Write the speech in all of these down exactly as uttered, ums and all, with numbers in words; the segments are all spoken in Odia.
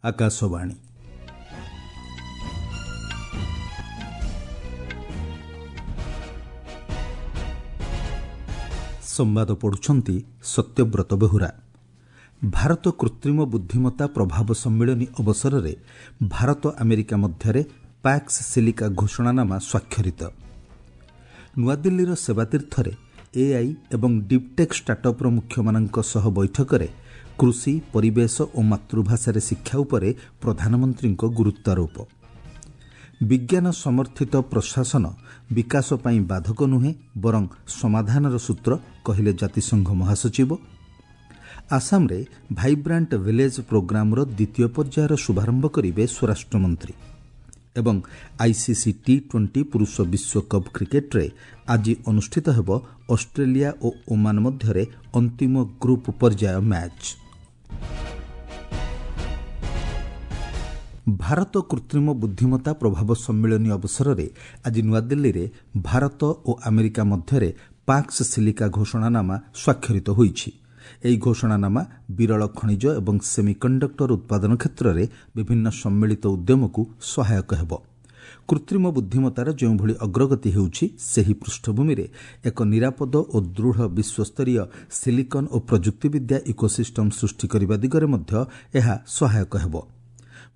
ଆକାଶବାଣୀ। ସମ୍ବାଦ ପଢ଼ୁଛନ୍ତି ସତ୍ୟବ୍ରତ ବେହୁରା। ଭାରତ କୃତ୍ରିମ ବୁଦ୍ଧିମତ୍ତା ପ୍ରଭାବ ସମ୍ମିଳନୀ ଅବସରରେ ଭାରତ ଆମେରିକା ମଧ୍ୟରେ ପ୍ୟାକ୍ସ ସିଲିକା ଘୋଷଣାନାମା ସ୍ୱାକ୍ଷରିତ। ନୂଆଦିଲ୍ଲୀର ସେବାତୀର୍ଥରେ ଏଆଇ ଏବଂ ଡିପ୍ଟେକ୍ ଷ୍ଟାର୍ଟଅପ୍ର ମୁଖ୍ୟମାନଙ୍କ ସହ ବୈଠକରେ କୃଷି, ପରିବେଶ ଓ ମାତୃଭାଷାରେ ଶିକ୍ଷା ଉପରେ ପ୍ରଧାନମନ୍ତ୍ରୀଙ୍କ ଗୁରୁତ୍ୱାରୋପ। ବିଜ୍ଞାନ ସମର୍ଥିତ ପ୍ରଶାସନ ବିକାଶ ପାଇଁ ବାଧକ ନୁହେଁ ବରଂ ସମାଧାନର ସୂତ୍ର, କହିଲେ ଜାତିସଂଘ ମହାସଚିବ। ଆସାମରେ ଭାଇବ୍ରାଣ୍ଟ ଭିଲେଜ୍ ପ୍ରୋଗ୍ରାମର ଦ୍ୱିତୀୟ ପର୍ଯ୍ୟାୟର ଶୁଭାରମ୍ଭ କରିବେ ସ୍ୱରାଷ୍ଟ୍ରମନ୍ତ୍ରୀ। ଏବଂ ଆଇସିସି ଟି ଟ୍ୱେଣ୍ଟି ପୁରୁଷ ବିଶ୍ୱକପ୍ କ୍ରିକେଟ୍ରେ ଆଜି ଅନୁଷ୍ଠିତ ହେବ ଅଷ୍ଟ୍ରେଲିଆ ଓ ଓମାନ ମଧ୍ୟରେ ଅନ୍ତିମ ଗ୍ରୁପ୍ ପର୍ଯ୍ୟାୟ ମ୍ୟାଚ୍। ଭାରତ କୃତ୍ରିମ ବୁଦ୍ଧିମତ୍ତା ପ୍ରଭାବ ସମ୍ମିଳନୀ ଅବସରରେ ଆଜି ନୂଆଦିଲ୍ଲୀରେ ଭାରତ ଓ ଆମେରିକା ମଧ୍ୟରେ ପାକ୍ସ ସିଲିକା ଘୋଷଣାନାମା ସ୍ୱାକ୍ଷରିତ ହୋଇଛି। ଏହି ଘୋଷଣାନାମା ବିରଳ ଖଣିଜ ଏବଂ ସେମିକଣ୍ଡକ୍ଟର ଉତ୍ପାଦନ କ୍ଷେତ୍ରରେ ବିଭିନ୍ନ ସମ୍ମିଳିତ ଉଦ୍ୟମକୁ ସହାୟକ ହେବ। କୃତ୍ରିମ ବୁଦ୍ଧିମତ୍ତାର ଯେଉଁଭଳି ଅଗ୍ରଗତି ହେଉଛି, ସେହି ପୃଷ୍ଠଭୂମିରେ ଏକ ନିରାପଦ ଓ ଦୃଢ଼ ବିଶ୍ୱସ୍ତରୀୟ ସିଲିକନ୍ ଓ ପ୍ରଯୁକ୍ତିବିଦ୍ୟା ଇକୋସିଷ୍ଟମ୍ ସୃଷ୍ଟି କରିବା ଦିଗରେ ମଧ୍ୟ ଏହା ସହାୟକ ହେବ।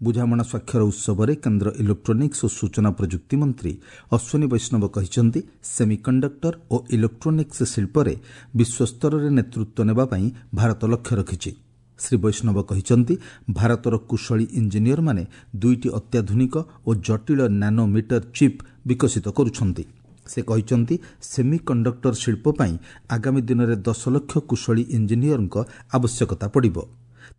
ବୁଝାମଣା ସ୍ୱାକ୍ଷର ଉତ୍ସବରେ କେନ୍ଦ୍ର ଇଲେକ୍ଟ୍ରୋନିକ୍ସ ଓ ସୂଚନା ପ୍ରଯୁକ୍ତି ମନ୍ତ୍ରୀ ଅଶ୍ୱିନୀ ବୈଷ୍ଣବ କହିଛନ୍ତି, ସେମିକଣ୍ଡକ୍ଟର ଓ ଇଲେକ୍ଟ୍ରୋନିକ୍ସ ଶିଳ୍ପରେ ବିଶ୍ୱସ୍ତରରେ ନେତୃତ୍ୱ ନେବା ପାଇଁ ଭାରତ ଲକ୍ଷ୍ୟ ରଖିଛି। ଶ୍ରୀ ବୈଷ୍ଣବ କହିଛନ୍ତି, ଭାରତର କୁଶଳୀ ଇଞ୍ଜିନିୟରମାନେ ଦୁଇଟି ଅତ୍ୟାଧୁନିକ ଓ ଜଟିଳ ନାନୋମିଟର ଚିପ୍ ବିକଶିତ କରୁଛନ୍ତି। ସେ କହିଛନ୍ତି, ସେମିକଣ୍ଡକ୍ଟର ଶିଳ୍ପ ପାଇଁ ଆଗାମୀ ଦିନରେ ଦଶ ଲକ୍ଷ କୁଶଳୀ ଇଞ୍ଜିନିୟରଙ୍କ ଆବଶ୍ୟକତା ପଡ଼ିବ।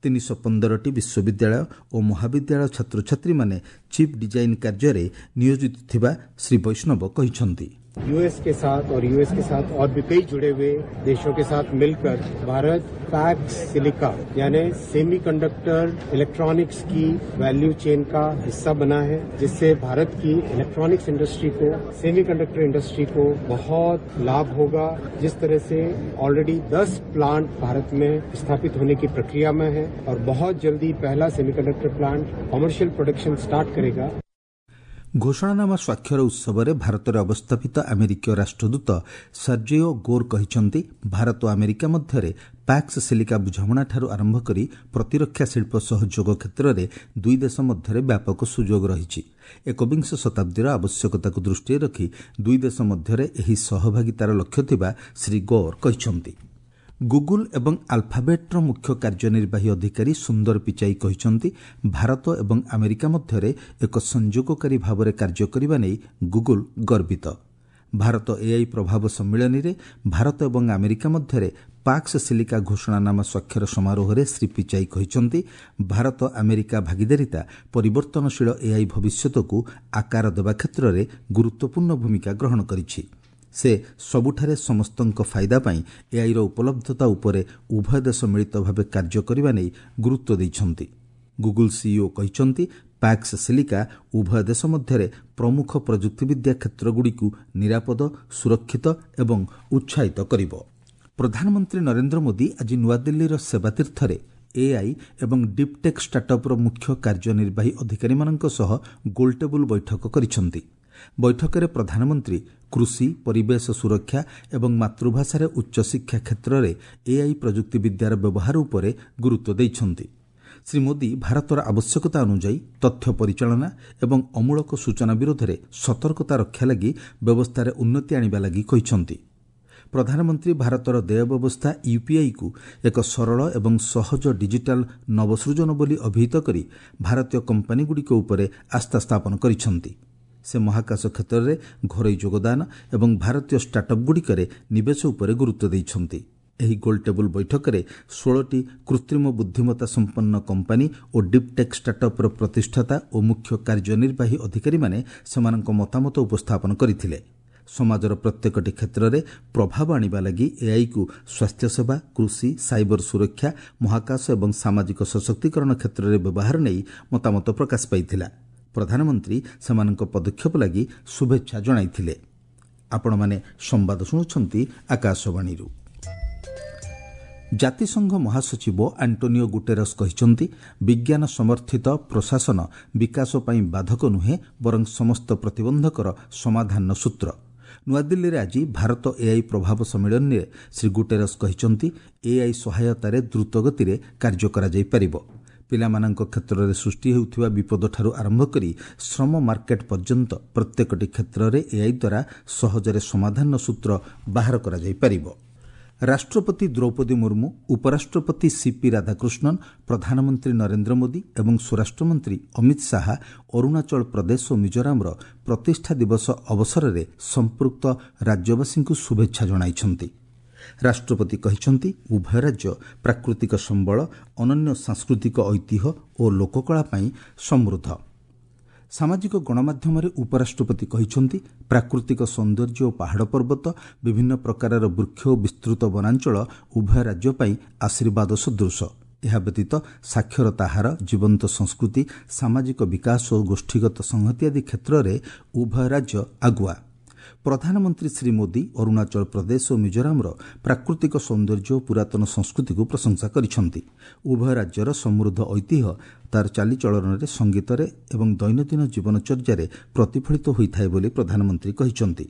ତିନିଶହ ପନ୍ଦରଟି ବିଶ୍ୱବିଦ୍ୟାଳୟ ଓ ମହାବିଦ୍ୟାଳୟ ଛାତ୍ରଛାତ୍ରୀମାନେ ଚିପ୍ ଡିଜାଇନ୍ କାର୍ଯ୍ୟରେ ନିୟୋଜିତ ଥିବା ଶ୍ରୀ ବୈଷ୍ଣବ କହିଛନ୍ତି। यूएस के साथ और यूएस के साथ और भी कई जुड़े हुए देशों के साथ मिलकर भारत पैक्स सिलिका यानी सेमीकंडक्टर इलेक्ट्रॉनिक्स की वैल्यू चेन का हिस्सा बना है, जिससे भारत की इलेक्ट्रॉनिक्स इंडस्ट्री को, सेमीकंडक्टर इंडस्ट्री को बहुत लाभ होगा। जिस तरह से ऑलरेडी दस प्लांट भारत में स्थापित होने की प्रक्रिया में है और बहुत जल्दी पहला semiconductor plant commercial production start करेगा। ଘୋଷଣାନାମା ସ୍ୱାକ୍ଷର ଉତ୍ସବରେ ଭାରତରେ ଅବସ୍ଥାପିତ ଆମେରିକୀୟ ରାଷ୍ଟ୍ରଦୂତ ସର୍ଜିଓ ଗୋର୍ କହିଛନ୍ତି, ଭାରତ ଓ ଆମେରିକା ମଧ୍ୟରେ ପ୍ୟାକ୍ସ ସିଲିକା ବୁଝାମଣାଠାରୁ ଆରମ୍ଭ କରି ପ୍ରତିରକ୍ଷା ଶିଳ୍ପ ସହଯୋଗ କ୍ଷେତ୍ରରେ ଦୁଇ ଦେଶ ମଧ୍ୟରେ ବ୍ୟାପକ ସୁଯୋଗ ରହିଛି। ଏକବିଂଶ ଶତାବ୍ଦୀର ଆବଶ୍ୟକତାକୁ ଦୃଷ୍ଟିରେ ରଖି ଦୁଇ ଦେଶ ମଧ୍ୟରେ ଏହି ସହଭାଗିତାର ଲକ୍ଷ୍ୟ ଥିବା ଶ୍ରୀ ଗୋର୍ କହିଛନ୍ତି। ଗୁଗୁଲ ଏବଂ ଆଲଫାବେଟ୍ର ମୁଖ୍ୟ କାର୍ଯ୍ୟନିର୍ବାହୀ ଅଧିକାରୀ ସୁନ୍ଦର ପିଚାଇ କହିଛନ୍ତି, ଭାରତ ଏବଂ ଆମେରିକା ମଧ୍ୟରେ ଏକ ସଂଯୋଗକାରୀ ଭାବରେ କାର୍ଯ୍ୟ କରିବା ନେଇ ଗୁଗୁଲ ଗର୍ବିତ। ଭାରତ ଏଆଇ ପ୍ରଭାବ ସମ୍ମିଳନୀରେ ଭାରତ ଏବଂ ଆମେରିକା ମଧ୍ୟରେ ପାକ୍ସ ସିଲିକା ଘୋଷଣାନାମା ସ୍ୱାକ୍ଷର ସମାରୋହରେ ଶ୍ରୀ ପିଚାଇ କହିଛନ୍ତି, ଭାରତ ଆମେରିକା ଭାଗିଦାରିତା ପରିବର୍ତ୍ତନଶୀଳ ଏଆଇ ଭବିଷ୍ୟତକୁ ଆକାର ଦେବା କ୍ଷେତ୍ରରେ ଗୁରୁତ୍ୱପୂର୍ଣ୍ଣ ଭୂମିକା ଗ୍ରହଣ କରିଛି। ସେ ସବୁଠାରେ ସମସ୍ତଙ୍କ ଫାଇଦା ପାଇଁ ଏଆଇର ଉପଲବ୍ଧତା ଉପରେ ଉଭୟ ଦେଶ ମିଳିତ ଭାବେ କାର୍ଯ୍ୟ କରିବା ନେଇ ଗୁରୁତ୍ୱ ଦେଇଛନ୍ତି। ଗୁଗୁଲ ସିଇଓ କହିଛନ୍ତି, ପ୍ୟାକ୍ସ ସିଲିକା ଉଭୟ ଦେଶ ମଧ୍ୟରେ ପ୍ରମୁଖ ପ୍ରଯୁକ୍ତିବିଦ୍ୟା କ୍ଷେତ୍ରଗୁଡ଼ିକୁ ନିରାପଦ, ସୁରକ୍ଷିତ ଏବଂ ଉତ୍ସାହିତ କରିବ। ପ୍ରଧାନମନ୍ତ୍ରୀ ନରେନ୍ଦ୍ର ମୋଦି ଆଜି ନୂଆଦିଲ୍ଲୀର ସେବାତୀର୍ଥରେ ଏଆଇ ଏବଂ ଡିପ୍ଟେକ୍ ଷ୍ଟାର୍ଟଅପ୍ର ମୁଖ୍ୟ କାର୍ଯ୍ୟନିର୍ବାହୀ ଅଧିକାରୀମାନଙ୍କ ସହ ଗୋଲଟେବୁଲ୍ ବୈଠକ କରିଛନ୍ତି। ବୈଠକରେ ପ୍ରଧାନମନ୍ତ୍ରୀ କୃଷି, ପରିବେଶ ସୁରକ୍ଷା ଏବଂ ମାତୃଭାଷାରେ ଉଚ୍ଚଶିକ୍ଷା କ୍ଷେତ୍ରରେ ଏଆଇ ପ୍ରଯୁକ୍ତିବିଦ୍ୟାର ବ୍ୟବହାର ଉପରେ ଗୁରୁତ୍ୱ ଦେଇଛନ୍ତି। ଶ୍ରୀ ମୋଦି ଭାରତର ଆବଶ୍ୟକତା ଅନୁଯାୟୀ ତଥ୍ୟ ପରିଚାଳନା ଏବଂ ଅମୂଳକ ସୂଚନା ବିରୋଧରେ ସତର୍କତା ରକ୍ଷା ଲାଗି ବ୍ୟବସ୍ଥାରେ ଉନ୍ନତି ଆଣିବା ଲାଗି କହିଛନ୍ତି। ପ୍ରଧାନମନ୍ତ୍ରୀ ଭାରତର ଦେୟ ବ୍ୟବସ୍ଥା ୟୁପିଆଇକୁ ଏକ ସରଳ ଏବଂ ସହଜ ଡିଜିଟାଲ ନବସୃଜନ ବୋଲି ଅଭିହିତ କରି ଭାରତୀୟ କମ୍ପାନୀଗୁଡ଼ିକ ଉପରେ ଆସ୍ଥା ସ୍ଥାପନ କରିଛନ୍ତି। ସେ ମହାକାଶ କ୍ଷେତ୍ରରେ ଘରୋଇ ଯୋଗଦାନ ଏବଂ ଭାରତୀୟ ଷ୍ଟାର୍ଟଅପ୍ଗୁଡ଼ିକରେ ନିବେଶ ଉପରେ ଗୁରୁତ୍ୱ ଦେଇଛନ୍ତି। ଏହି ଗୋଲଟେବୁଲ୍ ବୈଠକରେ ଷୋହଳଟି କୃତ୍ରିମ ବୁଦ୍ଧିମତ୍ତା ସମ୍ପନ୍ନ କମ୍ପାନୀ ଓ ଡିପ୍ଟେକ୍ ଷ୍ଟାର୍ଟଅପ୍ର ପ୍ରତିଷ୍ଠାତା ଓ ମୁଖ୍ୟ କାର୍ଯ୍ୟନିର୍ବାହୀ ଅଧିକାରୀମାନେ ସେମାନଙ୍କ ମତାମତ ଉପସ୍ଥାପନ କରିଥିଲେ। ସମାଜର ପ୍ରତ୍ୟେକଟି କ୍ଷେତ୍ରରେ ପ୍ରଭାବ ଆଣିବା ଲାଗି ଏଆଇକୁ ସ୍ୱାସ୍ଥ୍ୟସେବା, କୃଷି, ସାଇବର ସୁରକ୍ଷା, ମହାକାଶ ଏବଂ ସାମାଜିକ ସଶକ୍ତିକରଣ କ୍ଷେତ୍ରରେ ବ୍ୟବହାର ନେଇ ମତାମତ ପ୍ରକାଶ ପାଇଥିଲା। ପ୍ରଧାନମନ୍ତ୍ରୀ ସେମାନଙ୍କ ପଦକ୍ଷେପ ଲାଗି ଶୁଭେଚ୍ଛା ଜଣାଇଥିଲେ। ଆପଣମାନେ ସମ୍ବାଦ ଶୁଣୁଛନ୍ତି ଆକାଶବାଣୀରୁ। ଜାତିସଂଘ ମହାସଚିବ ଆଣ୍ଟୋନିଓ ଗୁଟେରସ୍ କହିଛନ୍ତି, ବିଜ୍ଞାନ ସମର୍ଥିତ ପ୍ରଶାସନ ବିକାଶ ପାଇଁ ବାଧକ ନୁହେଁ, ବରଂ ସମସ୍ତ ପ୍ରତିବନ୍ଧକର ସମାଧାନର ସୂତ୍ର। ନୂଆଦିଲ୍ଲୀରେ ଆଜି ଭାରତ ଏଆଇ ପ୍ରଭାବ ସମ୍ମିଳନୀରେ ଶ୍ରୀ ଗୁଟେରସ୍ କହିଛନ୍ତି, ଏଆଇ ସହାୟତାରେ ଦ୍ରୁତଗତିରେ କାର୍ଯ୍ୟ କରାଯାଇପାରିବ। ପିଲାମାନଙ୍କ କ୍ଷେତ୍ରରେ ସୃଷ୍ଟି ହେଉଥିବା ବିପଦଠାରୁ ଆରମ୍ଭ କରି ଶ୍ରମ ମାର୍କେଟ ପର୍ଯ୍ୟନ୍ତ ପ୍ରତ୍ୟେକଟି କ୍ଷେତ୍ରରେ ଏଆଇ ଦ୍ୱାରା ସହଜରେ ସମାଧାନର ସୂତ୍ର ବାହାର କରାଯାଇପାରିବ। ରାଷ୍ଟ୍ରପତି ଦ୍ରୌପଦୀ ମୁର୍ମୁ, ଉପରାଷ୍ଟ୍ରପତି ସିପି ରାଧାକୃଷ୍ଣନ, ପ୍ରଧାନମନ୍ତ୍ରୀ ନରେନ୍ଦ୍ର ମୋଦି ଏବଂ ସ୍ୱରାଷ୍ଟ୍ରମନ୍ତ୍ରୀ ଅମିତ ଶାହା ଅରୁଣାଚଳ ପ୍ରଦେଶ ଓ ମିଜୋରାମର ପ୍ରତିଷ୍ଠା ଦିବସ ଅବସରରେ ସମ୍ପୃକ୍ତ ରାଜ୍ୟବାସୀଙ୍କୁ ଶୁଭେଚ୍ଛା ଜଣାଇଛନ୍ତି। ରାଷ୍ଟ୍ରପତି କହିଛନ୍ତି, ଉଭୟ ରାଜ୍ୟ ପ୍ରାକୃତିକ ସମ୍ବଳ, ଅନନ୍ୟ ସାଂସ୍କୃତିକ ଐତିହ୍ୟ ଓ ଲୋକକଳା ପାଇଁ ସମୃଦ୍ଧ। ସାମାଜିକ ଗଣମାଧ୍ୟମରେ ଉପରାଷ୍ଟ୍ରପତି କହିଛନ୍ତି, ପ୍ରାକୃତିକ ସୌନ୍ଦର୍ଯ୍ୟ ଓ ପାହାଡ଼ ପର୍ବତ, ବିଭିନ୍ନ ପ୍ରକାରର ବୃକ୍ଷ ଓ ବିସ୍ତୃତ ବନାଞ୍ଚଳ ଉଭୟ ରାଜ୍ୟ ପାଇଁ ଆଶୀର୍ବାଦ ସଦୃଶ। ଏହା ବ୍ୟତୀତ ସାକ୍ଷରତା ହାର, ଜୀବନ୍ତ ସଂସ୍କୃତି, ସାମାଜିକ ବିକାଶ ଓ ଗୋଷ୍ଠୀଗତ ସଂହତି ଆଦି କ୍ଷେତ୍ରରେ ଉଭୟ ରାଜ୍ୟ ଆଗୁଆ। ପ୍ରଧାନମନ୍ତ୍ରୀ ଶ୍ରୀ ମୋଦି ଅରୁଣାଚଳ ପ୍ରଦେଶ ଓ ମିଜୋରାମର ପ୍ରାକୃତିକ ସୌନ୍ଦର୍ଯ୍ୟ ଓ ପୁରାତନ ସଂସ୍କୃତିକୁ ପ୍ରଶଂସା କରିଛନ୍ତି। ଉଭୟ ରାଜ୍ୟର ସମୃଦ୍ଧ ଐତିହ୍ୟ ତାର ଚାଲିଚଳନରେ, ସଙ୍ଗୀତରେ ଏବଂ ଦୈନନ୍ଦିନ ଜୀବନଚର୍ଯ୍ୟାରେ ପ୍ରତିଫଳିତ ହୋଇଥାଏ ବୋଲି ପ୍ରଧାନମନ୍ତ୍ରୀ କହିଛନ୍ତି।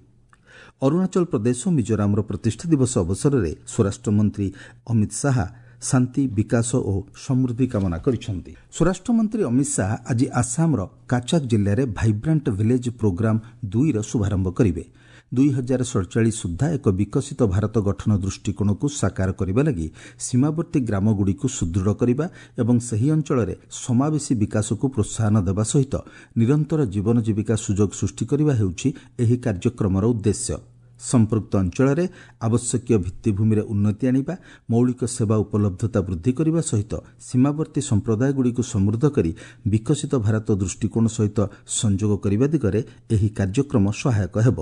ଅରୁଣାଚଳ ପ୍ରଦେଶ ଓ ମିଜୋରାମର ପ୍ରତିଷ୍ଠା ଦିବସ ଅବସରରେ ସ୍ୱରାଷ୍ଟ୍ରମନ୍ତ୍ରୀ ଅମିତ ଶାହା ଶାନ୍ତି, ବିକାଶ ଓ ସମୃଦ୍ଧି କାମନା କରିଛନ୍ତି। ସ୍ୱରାଷ୍ଟ୍ରମନ୍ତ୍ରୀ ଅମିତ ଶାହା ଆଜି ଆସାମର କାଚାକ ଜିଲ୍ଲାରେ ଭାଇବ୍ରାଣ୍ଟ ଭିଲେଜ ପ୍ରୋଗ୍ରାମ ଦୁଇର ଶୁଭାରମ୍ଭ କରିବେ। ଦୁଇ ହଜାର ସଡ଼ଚାଳିଶ ସୁଦ୍ଧା ଏକ ବିକଶିତ ଭାରତ ଗଠନ ଦୃଷ୍ଟିକୋଣକୁ ସାକାର କରିବା ଲାଗି ସୀମାବର୍ତ୍ତୀ ଗ୍ରାମଗୁଡ଼ିକୁ ସୁଦୃଢ଼ କରିବା ଏବଂ ସେହି ଅଞ୍ଚଳରେ ସମାବେଶୀ ବିକାଶକୁ ପ୍ରୋତ୍ସାହନ ଦେବା ସହିତ ନିରନ୍ତର ଜୀବନ ଜୀବିକା ସୁଯୋଗ ସୃଷ୍ଟି କରିବା ହେଉଛି ଏହି କାର୍ଯ୍ୟକ୍ରମର ଉଦ୍ଦେଶ୍ୟ। ସମ୍ପୃକ୍ତ ଅଞ୍ଚଳରେ ଆବଶ୍ୟକୀୟ ଭିତ୍ତିଭୂମିରେ ଉନ୍ନତି ଆଣିବା, ମୌଳିକ ସେବା ଉପଲବ୍ଧତା ବୃଦ୍ଧି କରିବା ସହିତ ସୀମାବର୍ତ୍ତୀ ସମ୍ପ୍ରଦାୟଗୁଡ଼ିକୁ ସମୃଦ୍ଧ କରି ବିକଶିତ ଭାରତ ଦୃଷ୍ଟିକୋଣ ସହିତ ସଂଯୋଗ କରିବା ଦିଗରେ ଏହି କାର୍ଯ୍ୟକ୍ରମ ସହାୟକ ହେବ।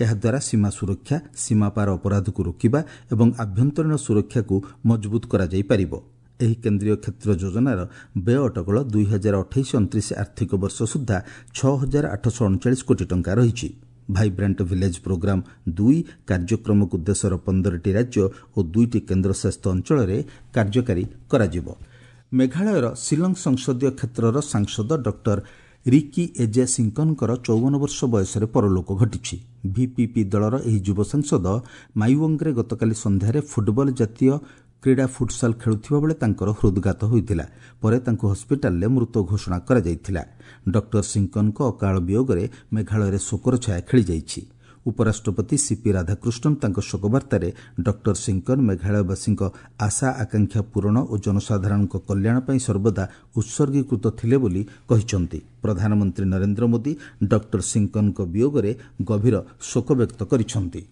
ଏହାଦ୍ୱାରା ସୀମା ସୁରକ୍ଷା, ସୀମାପାର ଅପରାଧକୁ ରୋକିବା ଏବଂ ଆଭ୍ୟନ୍ତରୀଣ ସୁରକ୍ଷାକୁ ମଜବୁତ କରାଯାଇପାରିବ। ଏହି କେନ୍ଦ୍ରୀୟ କ୍ଷେତ୍ର ଯୋଜନାର ବ୍ୟୟ ଅଟକଳ ଦୁଇ ହଜାର ଅଠେଇଶ ଅଣତିରିଶ ଆର୍ଥିକ ବର୍ଷ ସୁଦ୍ଧା ଛଅ ହଜାର ଆଠଶହ ଅଣଚାଳିଶ କୋଟି ଟଙ୍କା ରହିଛି। ଭାଇବ୍ରାଣ୍ଟ ଭିଲେଜ ପ୍ରୋଗ୍ରାମ ଦୁଇ କାର୍ଯ୍ୟକ୍ରମକୁ ଦେଶର ପନ୍ଦରଟି ରାଜ୍ୟ ଓ ଦୁଇଟି କେନ୍ଦ୍ରଶାସିତ ଅଞ୍ଚଳରେ କାର୍ଯ୍ୟକାରୀ କରାଯିବ। ମେଘାଳୟର ଶିଲଂ ସଂସଦୀୟ କ୍ଷେତ୍ରର ସାଂସଦ ଡକ୍ଟର ରିକି ଏଜେ ସିଙ୍କନଙ୍କର ଚଉବନ ବର୍ଷ ବୟସରେ ପରଲୋକ ଘଟିଛି। ଭିପିପି ଦଳର ଏହି ଯୁବ ସାଂସଦ ମାଇୱଙ୍ଗରେ ଗତକାଲି ସନ୍ଧ୍ୟାରେ ଫୁଟବଲ ଜାତୀୟ କ୍ରୀଡ଼ା ଫୁଟସାଲ ଖେଳୁଥିବା ବେଳେ ତାଙ୍କର ହୃଦଘାତ ହୋଇଥିଲା। ପରେ ତାଙ୍କୁ ହସ୍ପିଟାଲରେ ମୃତ ଘୋଷଣା କରାଯାଇଥିଲା। ଡକ୍ଟର ସିଙ୍କନଙ୍କ ଅକାଳ ବିୟୋଗରେ ମେଘାଳୟରେ ଶୋକର ଛାୟା ଖେଳିଯାଇଛି। ଉପରାଷ୍ଟ୍ରପତି ସିପି ରାଧାକୃଷ୍ଣନ ତାଙ୍କ ଶୋକବାର୍ତ୍ତାରେ ଡକ୍ଟର ସିଙ୍କନ ମେଘାଳୟବାସୀଙ୍କ ଆଶା ଆକାଂକ୍ଷା ପୂରଣ ଓ ଜନସାଧାରଣଙ୍କ କଲ୍ୟାଣ ପାଇଁ ସର୍ବଦା ଉତ୍ସର୍ଗୀକୃତ ଥିଲେ ବୋଲି କହିଛନ୍ତି। ପ୍ରଧାନମନ୍ତ୍ରୀ ନରେନ୍ଦ୍ର ମୋଦି ଡକ୍ଟର ସିଙ୍କନଙ୍କ ବିୟୋଗରେ ଗଭୀର ଶୋକ ବ୍ୟକ୍ତ କରିଛନ୍ତି।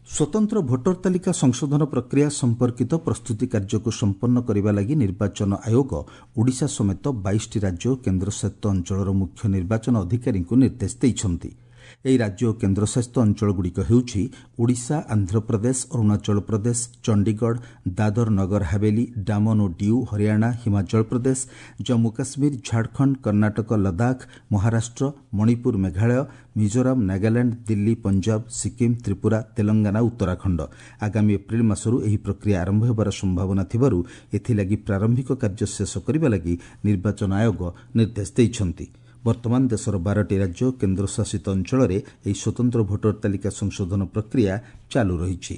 ସ୍ୱତନ୍ତ୍ର ଭୋଟର ତାଲିକା ସଂଶୋଧନ ପ୍ରକ୍ରିୟା ସମ୍ପର୍କିତ ପ୍ରସ୍ତୁତି କାର୍ଯ୍ୟକୁ ସମ୍ପନ୍ନ କରିବା ଲାଗି ନିର୍ବାଚନ ଆୟୋଗ ଓଡ଼ିଶା ସମେତ ବାଇଶଟି ରାଜ୍ୟ ଓ କେନ୍ଦ୍ରଶାସିତ ଅଞ୍ଚଳର ମୁଖ୍ୟ ନିର୍ବାଚନ ଅଧିକାରୀଙ୍କୁ ନିର୍ଦ୍ଦେଶ ଦେଇଛନ୍ତି। ଏହି ରାଜ୍ୟ ଓ କେନ୍ଦ୍ରଶାସିତ ଅଞ୍ଚଳଗୁଡ଼ିକ ହେଉଛି ଓଡ଼ିଶା, ଆନ୍ଧ୍ରପ୍ରଦେଶ, ଅରୁଣାଚଳ ପ୍ରଦେଶ, ଚଣ୍ଡିଗଡ଼, ଦାଦର ନଗର ହାବେଲି, ଡାମନ ଓ ଡିଉ, ହରିୟାଣା, ହିମାଚଳ ପ୍ରଦେଶ, ଜମ୍ମୁ କାଶ୍ମୀର, ଝାଡ଼ଖଣ୍ଡ, କର୍ଣ୍ଣାଟକ, ଲଦାଖ, ମହାରାଷ୍ଟ୍ର, ମଣିପୁର, ମେଘାଳୟ, ମିଜୋରାମ, ନାଗାଲାଣ୍ଡ, ଦିଲ୍ଲୀ, ପଞ୍ଜାବ, ସିକିମ୍, ତ୍ରିପୁରା, ତେଲଙ୍ଗାନା, ଉତ୍ତରାଖଣ୍ଡ। ଆଗାମୀ ଏପ୍ରିଲ ମାସରୁ ଏହି ପ୍ରକ୍ରିୟା ଆରମ୍ଭ ହେବାର ସମ୍ଭାବନା ଥିବାରୁ ଏଥିଲାଗି ପ୍ରାରମ୍ଭିକ କାର୍ଯ୍ୟ ଶେଷ କରିବା ଲାଗି ନିର୍ବାଚନ ଆୟୋଗ ନିର୍ଦ୍ଦେଶ ଦେଇଛନ୍ତି। ବର୍ତ୍ତମାନ ଦେଶର ବାରଟି ରାଜ୍ୟ ଓ କେନ୍ଦ୍ରଶାସିତ ଅଞ୍ଚଳରେ ଏହି ସ୍ୱତନ୍ତ୍ର ଭୋଟର ତାଲିକା ସଂଶୋଧନ ପ୍ରକ୍ରିୟା ଚାଲୁ ରହିଛି।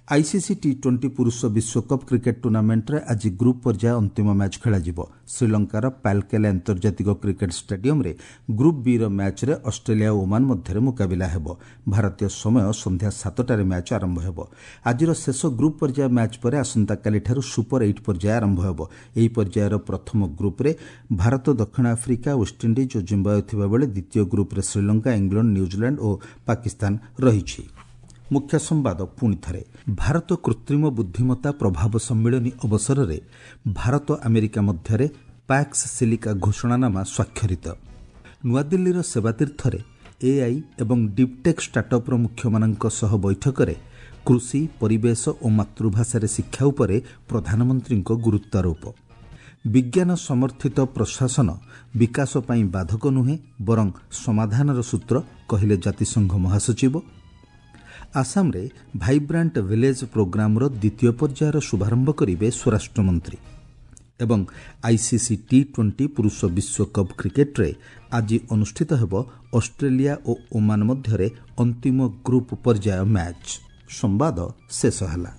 ଆଇସିସି ଟି ଟ୍ୱେଣ୍ଟି ପୁରୁଷ ବିଶ୍ୱକପ୍ କ୍ରିକେଟ୍ ଟୁର୍ଣ୍ଣାମେଣ୍ଟରେ ଆଜି ଗ୍ରୁପ୍ ପର୍ଯ୍ୟାୟ ଅନ୍ତିମ ମ୍ୟାଚ୍ ଖେଳାଯିବ। ଶ୍ରୀଲଙ୍କାର ପାଲକେଲା ଆନ୍ତର୍ଜାତିକ କ୍ରିକେଟ୍ ଷ୍ଟାଡିୟମ୍ରେ ଗ୍ରୁପ୍ ବିର ମ୍ୟାଚ୍ରେ ଅଷ୍ଟ୍ରେଲିଆ ଓ ଓମାନ ମଧ୍ୟରେ ମୁକାବିଲା ହେବ। ଭାରତୀୟ ସମୟ ସନ୍ଧ୍ୟା ସାତଟାରେ ମ୍ୟାଚ୍ ଆରମ୍ଭ ହେବ। ଆଜିର ଶେଷ ଗ୍ରୁପ୍ ପର୍ଯ୍ୟାୟ ମ୍ୟାଚ୍ ପରେ ଆସନ୍ତାକାଲିଠାରୁ ସୁପର ଏଇଟ୍ ପର୍ଯ୍ୟାୟ ଆରମ୍ଭ ହେବ। ଏହି ପର୍ଯ୍ୟାୟର ପ୍ରଥମ ଗ୍ରୁପ୍ରେ ଭାରତ, ଦକ୍ଷିଣ ଆଫ୍ରିକା, ୱେଷ୍ଟଇଣ୍ଡିଜ୍ ଓ ଜିମ୍ବାୱେ ଥିବାବେଳେ ଦ୍ୱିତୀୟ ଗ୍ରୁପ୍ରେ ଶ୍ରୀଲଙ୍କା, ଇଂଲଣ୍ଡ, ନ୍ୟୁଜିଲାଣ୍ଡ ଓ ପାକିସ୍ତାନ ରହିଛି। ମୁଖ୍ୟ ସମ୍ବାଦ ପୁଣି ଥରେ। ଭାରତ କୃତ୍ରିମ ବୁଦ୍ଧିମତ୍ତା ପ୍ରଭାବ ସମ୍ମିଳନୀ ଅବସରରେ ଭାରତ ଆମେରିକା ମଧ୍ୟରେ ପ୍ୟାକ୍ସ ସିଲିକା ଘୋଷଣାନାମା ସ୍ୱାକ୍ଷରିତ। ନୂଆଦିଲ୍ଲୀର ସେବାତୀର୍ଥରେ ଏଆଇ ଏବଂ ଡିପ୍ଟେକ୍ ଷ୍ଟାର୍ଟଅପ୍ର ମୁଖ୍ୟମାନଙ୍କ ସହ ବୈଠକରେ କୃଷି, ପରିବେଶ ଓ ମାତୃଭାଷାରେ ଶିକ୍ଷା ଉପରେ ପ୍ରଧାନମନ୍ତ୍ରୀଙ୍କ ଗୁରୁତ୍ୱାରୋପ। ବିଜ୍ଞାନ ସମର୍ଥିତ ପ୍ରଶାସନ ବିକାଶ ପାଇଁ ବାଧକ ନୁହେଁ ବରଂ ସମାଧାନର ସୂତ୍ର, କହିଲେ ଜାତିସଂଘ ମହାସଚିବ। ଆସାମରେ ଭାଇବ୍ରାଣ୍ଟ ଭିଲେଜ୍ ପ୍ରୋଗ୍ରାମର ଦ୍ୱିତୀୟ ପର୍ଯ୍ୟାୟର ଶୁଭାରମ୍ଭ କରିବେ ସ୍ୱରାଷ୍ଟ୍ରମନ୍ତ୍ରୀ ଏବଂ ଆଇସିସି ଟି ଟ୍ୱେଣ୍ଟି ପୁରୁଷ ବିଶ୍ୱକପ୍ କ୍ରିକେଟ୍ରେ ଆଜି ଅନୁଷ୍ଠିତ ହେବ ଅଷ୍ଟ୍ରେଲିଆ ଓ ଓମାନ ମଧ୍ୟରେ ଅନ୍ତିମ ଗ୍ରୁପ୍ ପର୍ଯ୍ୟାୟ ମ୍ୟାଚ୍। ସମ୍ବାଦ ଶେଷ ହେଲା।